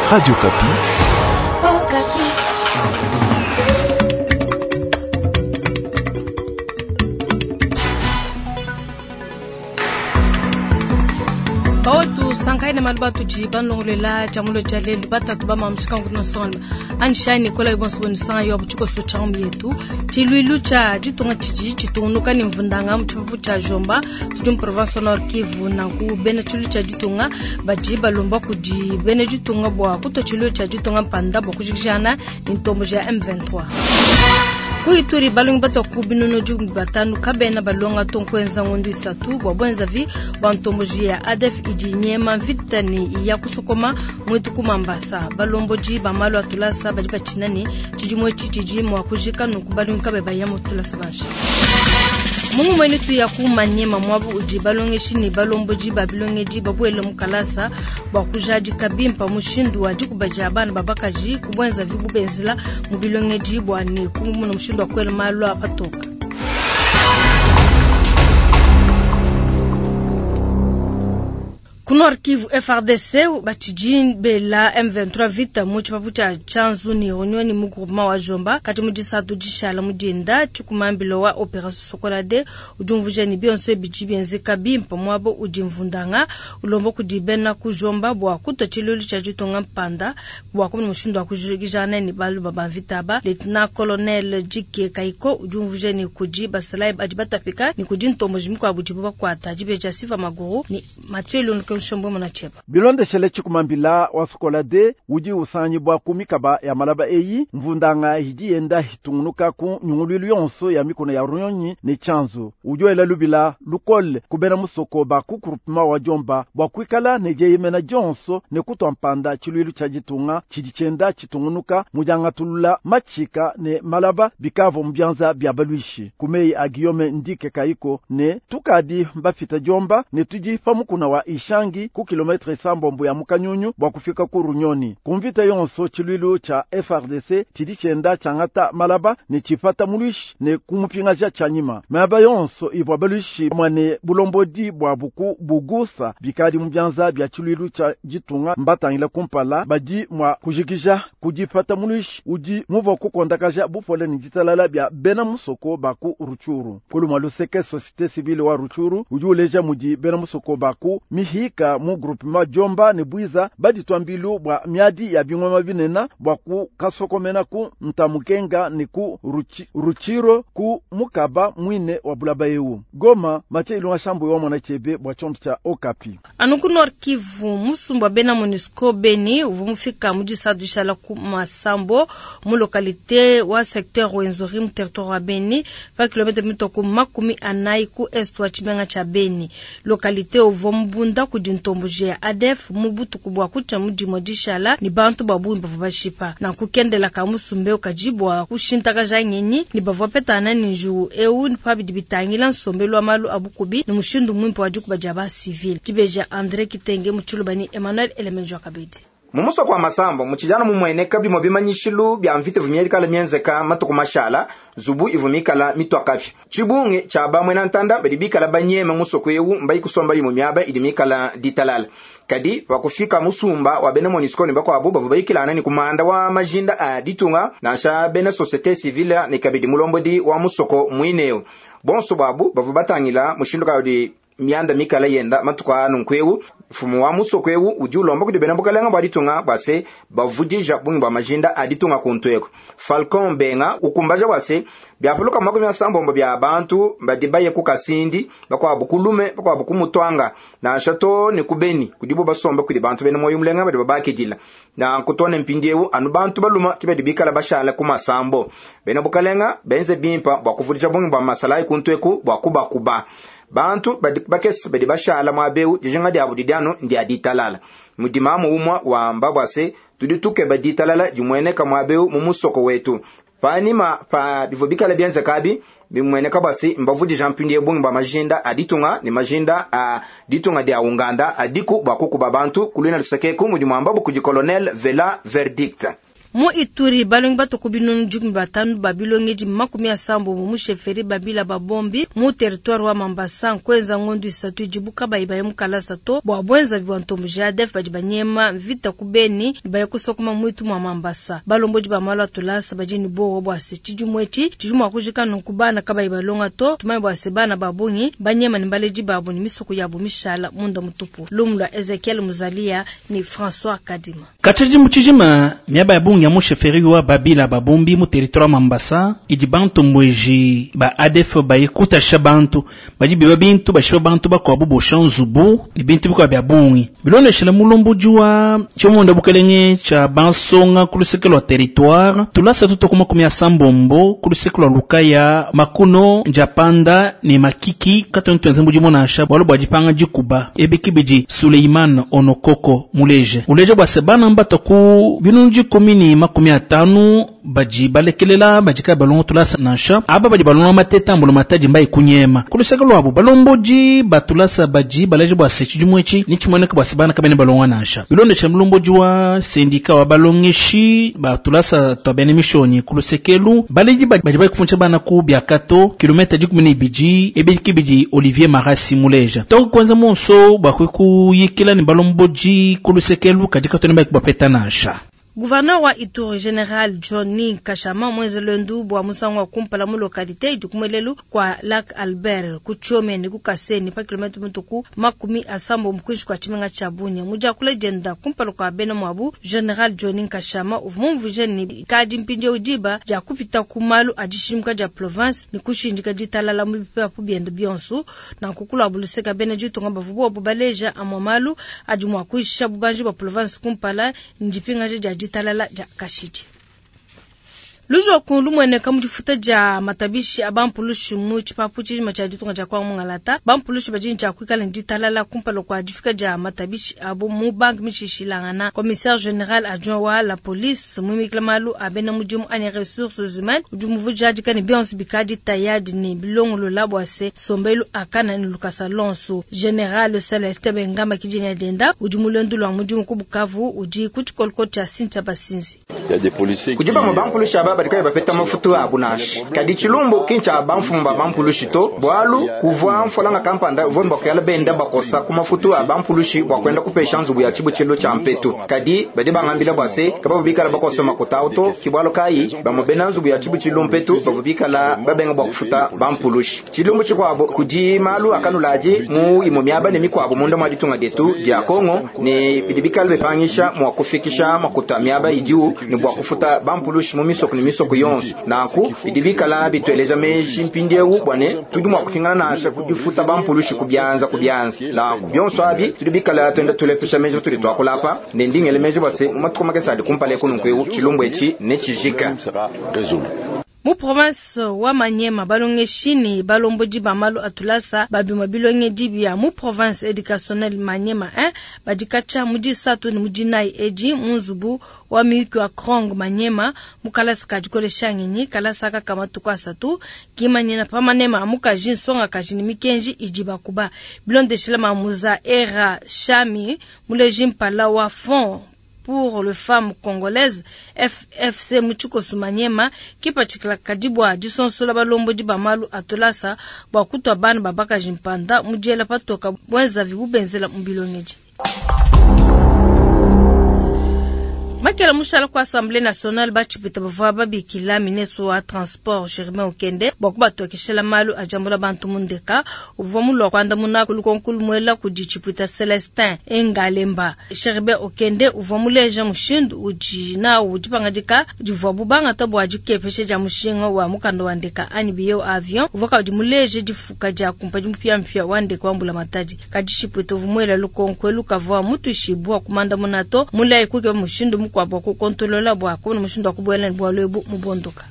Radio Okapi. Bawetu sankai na malu batudi banongolela tshiamulo tshia lelu batatu bamamshika ngudi nsonga anshani kola ibonso bonisanga yo butshikoso tshia yetu tshiluilu tshia ditunga tshidi tshitungunuka ne mvundanga mu tshipapu tshia Jomba tudi mu province Nord Kivu. Nanku bena tshiluilu tshia ditunga badi balomba kudi bena ditunga bua kutua tshiluilu tshia ditunga mpanda bua kujikijana ne ntombo ya M23. Ku Ituri balongi batua ku binunu 15 kabena balonga to nkuenza ngondu 3 bua bwenzavi bua ntomboji ya ADF idi nyema mvita ne ya kusokoma mwetu ku Mambasa. Balombodi ba malu a tulasa badi batshina ne tshidimu etshi tshidi mua kujika nunku balongi kabe baya mu tulasa nansha. Mungu mwene tu ya ku Manyema mwabu udi balongeshi ne balombodi ba bilongedi babuele mu kalasa bua kujadika bimpa mushindu wa dikuba dia bana babakaji kubwenza vibu benzela mu bilongedi bua ne kumuna mushindu wa kuela malu a patoka. Ku Nord Kivu FARDC batshidi bela M23 vita mu tshipapu tshia Tshanzu ne Runyoni mu groupement wa Jomba kati mu disatu dishala mu dinda tshikumambilo wa Opération Sokola 2 udi umvuija ne bionso bidi bienzeka bimpe muabo udi mvundanga ulomba kudi bena ku Jomba bua kutua tshiluilu tshia ditunga mpanda bua kumona mushindu wa kujikijana ne balu ba mvita ba. Lieutenant Colonel Dike Kaiko udi umvuija ne kudi basalayi badi batapika ne kudi ntomboji mikuabu dibu bakuata dibeja Siva Maguru ne Mathieu Lunke bilondeshele tshikumambila wa Sokola 2 udi usangibwa ku mikaba ya malaba eyi mvundanga idi yenda hitungunuka ku nyunguluilu yonso ya mikono ya Runyonyi ne Tshanzu. Udi wela lubila lukole kubena musoko ba ku groupement wa Jomba bua kuikala ne dieyemena dionso ne kutua mpanda tshiluilu tshia ditunga tshidi tshienda tshitungunuka mu diangatulula matshika ne malaba bikavua mu bianza bia baluishi. Ku meyi a Guillaume Ndike Kaiko ne tukadi bafita Jomba ne tudi pa mukuna wa Ishangi ku kilometre 7 ya Mukanyunyu bua kufika ku Runyoni. Kumvita yonso tshiluilu tshia FARDC tshidi tshienda tshiangata malaba ne tshipata muluishi ne kumupingaja tshianyima. Malaba yonso ivua baluishi mwane bulombodi bua buku bugusa bikadi mu bianza bia tshiluilu tshia ditunga mbatangila kumpala badi mua kujikija kudipata muluishi udi muvua kukondakaja bupole ne ditalala bia bena musoko ba ku Rutshuru. Kulumwa luseke société civile wa Rutshuru udi uleja mudi bena musoko ba ku mihika mu groupement Jomba ne Bwiza baditwa mbilu bua miadi ya bingoma binena bua ku kasokomena ku Ntamukenga ne ku Ruchiro ku mukaba mwine wa bulaba eu. Goma, Mathieu Ilunga Shambu wa mwana chebe bua chonto cha Okapi. Anu ku Nord Kivu musumba bena MONUSCO Beni uvua mufika mu disatu ku Masambo mu localité wa secteur Rwenzori mu territoire wa Beni pa kilomètre mitoko 40 ku est wa tshimenga tsha Beni. Localité uvua mubunda kudi ntomboji ya ADF mu butuku bua kutshia mu dimue dishala ni bantu babungi bavua bashipa. Nanku kendela ka musumbe ukajibwa kushintakaja ngenyi ni bavua petana ni njuwu eu pa bidi bitangila nsombelu wa malu a bukubi ni mushindu mwimpe wa dikuba dia ba civil. Dibeja André Kitenge mu Tshiluba ni Emmanuel Elemenjo Kabedi. Mumusoko wa Masambo muchijana mumweneka bimwe bimanyishilu bya mvita vumyelikala myenzeka matuku mashala zubu ivumikala mitwakafya chibunge cha bamwe na ntanda badi bikala banyema musoko ewu mbai kusomba imwe myaba idi mikala ditalala kadi wakufika musumba wa bena MONUSCO ne bakwabo bavua bayikilana ni kumanda wa majinda a ditunga nansha bena société civile ne kabidi mulombodi wa musoko mwineo bonso babu bavua batangila mushindu kawudi mianda mikala yenda matuku anu nkwewu mfumu wa musoko ewu udi ulomba kudi bena bukalenga bua ditunga bua se bavudija bungi bua majinda a ditunga kuntu eko. Falcon Benga ukumbaja bua se biapuluka 80 bya bantu badi baye ku Kasindi bakwabo kulume bakwabo kumutwanga nansha to ne kubeni kudibo basomba kudi bantu bena moyo mulenga badi babakidila na kutone mpindi ewu anu bantu baluma kibedi bikala bashala ku Masambo bena bukalenga benze bimpa bua kuvudija bungi bua masalai kuntu eku bua kubakuba bantu badi bakesi badi bashala mwabeu dijinga diabu didiano ndia ditalala mudimamu umwa wamba bua se tudi tukeba ditalala dimweneka mwabeu mu musoko wetu panima pa bivua bikala bienzekabi bimweneka bua se mbavudija mpindi bungi bua majinda a ditunga ne majinda a ditunga dia Uganda adiku bua kukuba bantu kulwina lusekeku mudi mwamba bukudi Colonel Vela Verdict. Mu Ituri, balongi batue ku 500 ba bilongedi 80 mu chefferie Babila Babombi mu territoire wa Mambasa nkuenza ngondu 3 idibu kabayi baye mu kalasa to bua buenzavi bua ntomboji ya ADF badi banyema mvita ku Beni ne baye kusokoma muitu mua Mambasa. Balombodi ba malu a tulasa badi ne buowa bua se tshidimu etshi tshidi mua kujika nunku bana kabayi balonga to. Tumanye bua se bana ba bungi banyema ne baledi babu ne misoko yabu mishala munda mutupu. Lumu lua Ezekiel Muzalia ne François Kadima. Katshia tshidimu tshijima, miaba ya bungi ya mu chefferie wa Babila Babombi mu territoire wa Mambasa idi bantombueji ba ADF baye kutasha bantu badi biba bintu bashipa bantu bakuabu bosha nzubu ne bintu bikuabu bia bungi. Bilondeshile mulombodi wa tshimonda bukelenge tshia bansonga ku luseke lua territoire tulasa tuto ku 80 ku luseke lua Lukaya, Makuno, Njapanda ne Makiki katuena tuenza mudimu nansha bualu bua dipanga dikuba. Ebi kibidi Suleiman Onokoko muleje uleje bua se bana mbato ku 10050 badi balekelela badi kabayi balonga tulasa nansha aba badi balonga mateta ambula matadi mbayi kunyema. Ku luseke luabu balombodi ba tulasa badi baleje bua se tshidimu etshi ni tshimueneka bua se bana kabena balonga nansha. Bilondeshile mulombodi wa sendika wa balongeshi ba tulasa tua bena mishonyi ku lusekelu baledi badi bakufundisha bana ku biakato kilomita 12 ebi kibidi Olivier Marasi muleja. Toku kwanza monso bua kuyikila ne balombodi ku lusekelu kadi katona baki bapeta nansha. Gouverneur wa Ituri General Johnny Kashama mwenze lwendu bua musangu wa kumpala mu localité idi kumwelelu kwa Lac Albert ku Tchome ne ku Kaseni pa kilomètre mutuku 70 mukwishi kwa tshimenga tshia Bunia. Mudiakula dienda kumpala kwa bena mwabu General Johnny Kashama uvua mumvuije ne kadi mpindieu diba dia kupita ku malu a dishimuka dia province ne kushindika ditalala mu bipapu biende bionso. Nanku kuluabu luseka bena ditunga bavua bobu baleja amua malu adi mua kuisha bubanji bua province kumpala ndipingaja dia ditalala dia kashidi. Lujoku lumwene kamudifuta dia matabishi a bampulushi mu tshipapu tshijima tshia ditunga dia Kongo Mungalata. Bampulushi badi ne tshia kuikala ne ditalala kumpala kua difika dia matabishi abo mu banque mishishilangana. Commissaire général adjoint wa la police muimikila malu a bena mudimu anyi ressources humaines udi muvujadika ne bionso bikadi tayadi ne bilongolola bua se sombelu akana ne lukasa lonso. Général Celeste Bengamba kidina denda udi mulendu lwa mudimu ku Bukavu udi ku tshikoloko tshia Cynthia Basinzi. Kudi bamwe bampulushi aba badi kabayi bapeta mafutu abu nansha. Kadi tshilumbu ki ntshia bamfumu ba bampulushi to, bualu kuvua mfolanga kampanda uvua ne bua kuyala benda bakosa ku mafutu a bampulushi bua kuenda kupesha nzubu ya tshibutshilu tshia mpetu. Kadi badi bangambila bua se kabavua bikala bakosa makuta awu to, ki bualu kayi bamue bena nzubu ya tshibutshilu mpetu bavua bikala babenga bua kufuta bampulushi. Tshilumbu tshikuabu kudi malu akanuladi mu imue miaba ne mikuabu munda mua ditunga dietu dia Kongo ne bidi bikala bipangisha mua kufikisha makuta miaba idiwu ne bua kufuta bampulushi mu misoko ne misoko yonso. Nanku bidi bikala bitueleja meji mpindieu bua ne tudi mua kupingana nansha kudifuta bampulushi ku bianza ku bianza. Nanku bionso abi tudi bikala tuenda tulepesha meji tudi tuakula apa ne ndingele meji bua se mu matuku makese adi kumpala eku nunku eu tshilumbu etshi ne tshijika. Mu province wa Maniema balongeshi ne balombodi ba malu a tulasa babima bilongedi bia mu province éducationnelle Maniema 1 badi katshia mu disatu ne mu dinayi edi mu nzubu wa miyuki wa Krong Maniema mu kalasa ka dikolesha ngenyi kalasa aka ka matuku asatu kimanyina pa manema a mukaji nsongakaji ne mikenji idi bakuba. Bilondeshela Mamuza Era Shami muleji mpala wa Fonds pour les femmes congolaises FFC mu tshikoso Maniema kipatshikila kadi bua disonsola balombodi ba malu a tulasa bua kutua bana ba bakaji mpanda mu diela patoka bwenzavi bubenzela mu bilongedi. Makela mushala ku Assemblée nationale batshipita bavua babikila ministre wa transport Germain Okende bua kubatokeshela malu a diambula bantu mu ndeka. Uvua mulua kuandamuna ku lukonko lumuela kudi tshipita Celestin Engalemba. Germain Okende uvua muleja mushindu udi nawu dipangadika divuabu bangata bua dikepesha dia mushinga wa mukanda wa ndeka anyi billet avion. Uvua kabidi muleje difuka dia kumpadi mupiamupia wa ndeka wa mbulamatadi. Kadi tshipita uvua muela lukonko elu kavua mutuishibua kumandamuna to, mulayi kukeba mushindu mukuabu bua kukontolola bua kubona mushindu wa kubuela ne bualu ebu mu bondoka.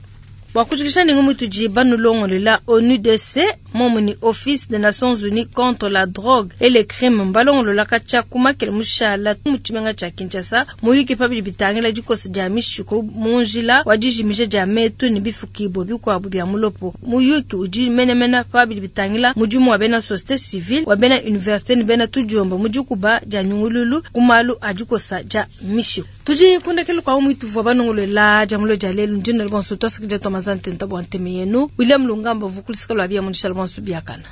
Bua kujikisha ningu mutudi banulongolela ONUDC momu ni Office des Nations Unies contre la drogue et les crimes mbalongolola katshia kumakela mushala mu tshimenga tshia Kinshasa muyuki pabidi bitangila dikosa dia mishiku mu njila wa dijimija dia metu ne bifukibua bikuabu bia mulopo. Muyuki udi menemene pabidi bitangila mudimu wa bena société civile wa bena université ne bena tudiomba mu dikuba dia nyungululu ku malu a dikosa dia mishiku. Tudi kundekelu kwa umwitu vwa banongolola jamulo ja lelu ndino bonso twasakidila twamazantenta bwa nteme yenu. William Lungamba vukulisika lwa bia munishala bonso biakana.